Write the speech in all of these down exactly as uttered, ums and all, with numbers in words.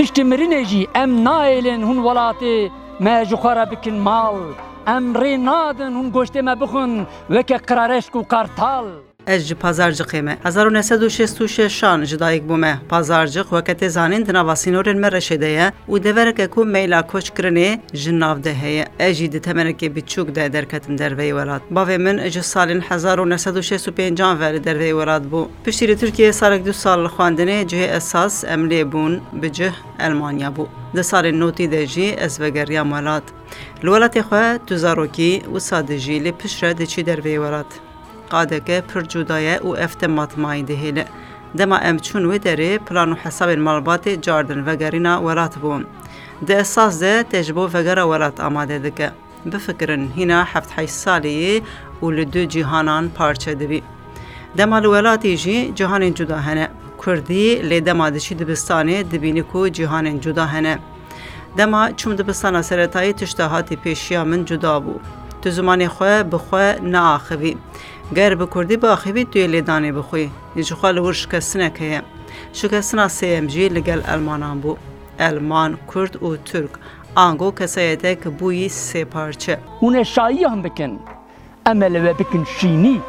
Piştî mirinê jî em nahêlin hûn welatê me ji xwe re bikin mal. Em rê nadin hûn goştê me bixwin weke qirareşk û qartal. Ez ji Pazarcixê me. Hezar û neh sed û şêst û şeşan ji dayik bûme. Pazarcix weke tê zanîn di nava sînorên Mereşê de ye û devereke ku meyla koçkirinê ji nav de heye. Ez jî di temenekê biçûk de derketim derveyî welat. Bavê min ji salên hezar û neh sed û şêst û pêncan ve li derveyî welat bû. Piştî li Tirkiyeyê salek du sal xwendinê cihê esas em lê bûn bi cih Elmanya bû. Di salên notî de jî ez vegeriyam welat. Li welatê xwe tu zarokî wisa dijî, lê piştre diçî derveyî welat. Qadeke pir cuda ye û ev te matmayî dihêle. Dema em çûn wê derê, plan û hesabên malbatê cardin vegerîna welat bûn. Di esas de te ji bo vegera welat amade dike. Bifikirin, hîna heft heşt salî yî û li du cîhanan parçe dibî. Dema li welatî jî cîhanên cuda hene. Kurdî lê dema diçî dibistanê dibînî ku cîhanên cuda hene. Dema çûm dibistana seretayî tişta hatî pêşiya min cuda bû. Tu zimanê xwe bi xwe neaxivî. Ger bi kurdî biaxivî tu yê lêdanê bixwî. Ji xwe li wir şikestinek heye. Şikestina sêyem jî li gel Elmanan bû. Elman, Kurd û Tirk. Ango kesayetek bûyî sê parçe. Hûn ê şayiyan bikin. Em ê li we bikin şînî.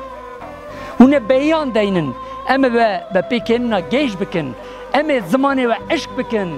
Hûn ê beyan deynin. Em ê we bi pêkênina gêj bikin. Em ê zimanê we eşq bikin.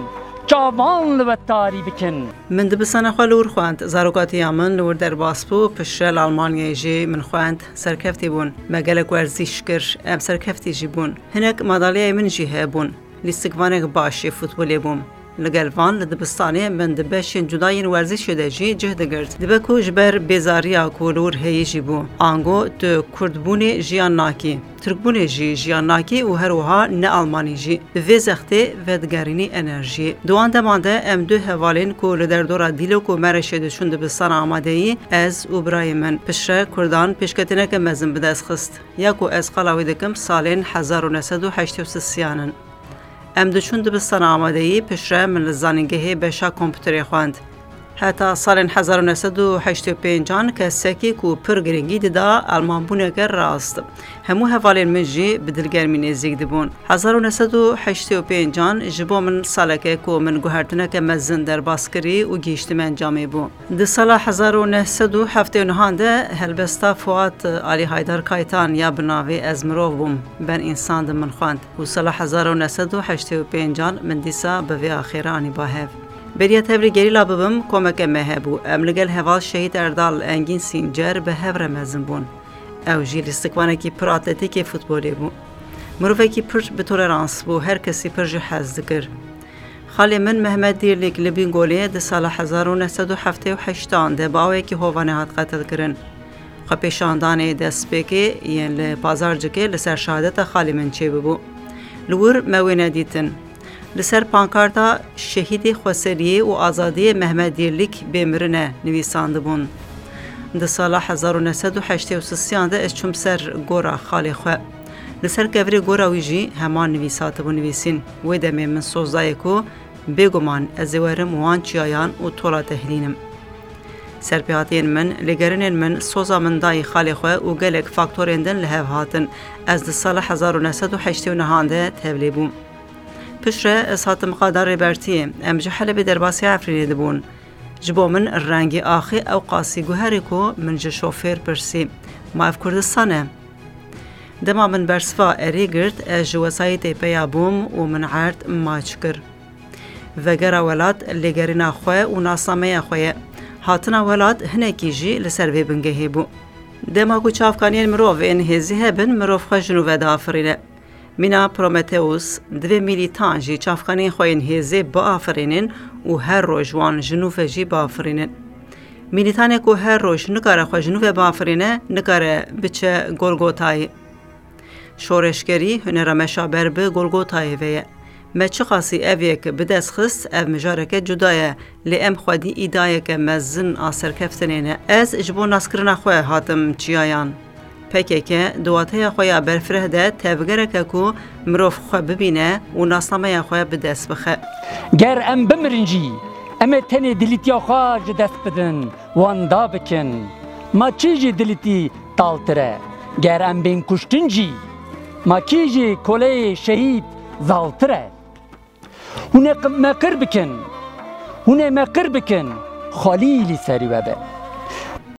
Çavan li we tarî bikin. Min dibistana xwe li wir xwend. Zarokatiya min li wir derbas bû. Piştre li Almanyayê jî min xwend. Serkeftî bûn. Me gelek werzîş kir. Em serkeftî jî bûn. Hinek madalyayê min jî hebûn. Lîstikvanek baş ê futbolê bûm. Li gel van li dibistanê min di beşên cuda yên werzîşê de jî cih digirt. Dibe ku ji ber bêzariya ku li wir heyî jî bû. Ango tu kurdbûnê jiyan nakî, tirkbûnê jî jiyan nakî û her wiha ne almanî jî. Bi vê zextê vedigerînî enerjiyê. Di wan deman de em du hevalên ku li derdora Dîlok û Mereşê diçûn dibistana amadeyî, ez û birayê min, piştre kurdan pêşketineke mezin bi dest xist. Ya ku ez qala wî dikim salên hezar û neh sed û heştê û sisiyan in. Em diçûn dibistana amadeyî, piştre min li zanîngehê beşa kompûterê xwend. Heta salên hezar û neh sed û heştê û pêncan kesekî ku pir girîngî dida almanbûneke rast. Hemû hevalên min jî bi dilgermî nêzîk dibûn. Hezar û neh sed û heştê û pêncan ji bo min saleke ku min guhertineke mezin derbas kirî û gihîştime encamê bû. Di sala hezar û neh sed û heftê û nehan de helbesta Fuat Alî Haydar Kaytan ya bi navê Ez Mirov Bûm, Ben Însan di min xwend û sala hezar û neh sed û heştê û pêncan min dîsa bi vê axêra anî ba hev. Beriya tevlî gerîla bibim, komeke me hebû. Em li gel heval Şehîd Erdal Engîn Sîncer bi hev re mezin bûn. Ew jî lîstikvanekî pir atletîk ê futbolê bû. Mirovekî pir bi tolerans bû, her kesî pir jî hez dikir. Xalê min Mehmet Dîrlîk li Bîngolê di sala hezar û neh sed û heftê û heştan de bi awekî hovane hat qetilkirin. Xwepêşandanê destpêkê yên li Pazarcikê li ser şehadeta xalê min çêbibû. Li wir me wê nedîtin. Li ser pankarta Şehîdê Xweseriyê û Azadiyê Mehmet Dîrlîk bê mirin e nivîsandibûn. Di sala hezar û neh sed û heştê û sisiyan de ez çûm ser gora xalê xwe. Li ser kevirê gora wî jî heman nivîs hatibû nivîsîn. Wê demê min soz dayê ku bêguman ez ê werim wan çiyayan û tola te hilînim. Serpêhatiyên min, lêgerînên min, soza min dayî xalê xwe û gelek faktorên din li hev hatin. Ez di sala hezar û neh sed û heştê û nehan de tevlê bûm. Piştre ez hatim qada Rêbertiyê. Em ji Helebê derbasî Efrînê dibûn. Ji bo min rengê axê ew qasî guherî ku min ji şofêr pirsî, "Ma ev Kurdistan e?" Dema min bersiva erê girt, ez ji wesayîtê peya bûm û min erd maç kir. Vegera welat lêgerîna xwe û nasnameya xwe ye. Hatina welat hinekî jî li ser vê bingehê bû. Dema ku çavkaniyên mirov ên hêzî hebin, mirov xwe ji nû ve diafirîne. Mîna Prometheus, divê mîlîtan jî çavkaniyên xwe yên hêzê biafirînin û her roj wan ji nû ve jî biafirînin. Mîlîtanê ku her roj nikare xwe ji nû ve biafirîne, nikare biçe Golgotayê. Şoreşgerî hunera me şaber bi Golgotayê ve ye. Me çiqasî ev yek bi dest xist, ev mijareke cuda ye, lê em xwedî îdayeke mezin a serkeftinê ne. Ez ji bo naskirina xwe hatim çiyayan. P K K di wateya xwe ya berfireh de tevgereke ku mirov xwe bibîne û nasnameya xwe bi dest bixe. Ger em bimirin jî, em ê tenê dilîtiya xwe ji dest bidin, wenda bikin. Ma kî ji dilîtî taltir e? Ger em bên kuştin jî, ma kî ji koleyê şehîd zaltir e? Hûn ê qi-, me qir bikin. Hûn ê me qir bikin. Xalî li serî we be.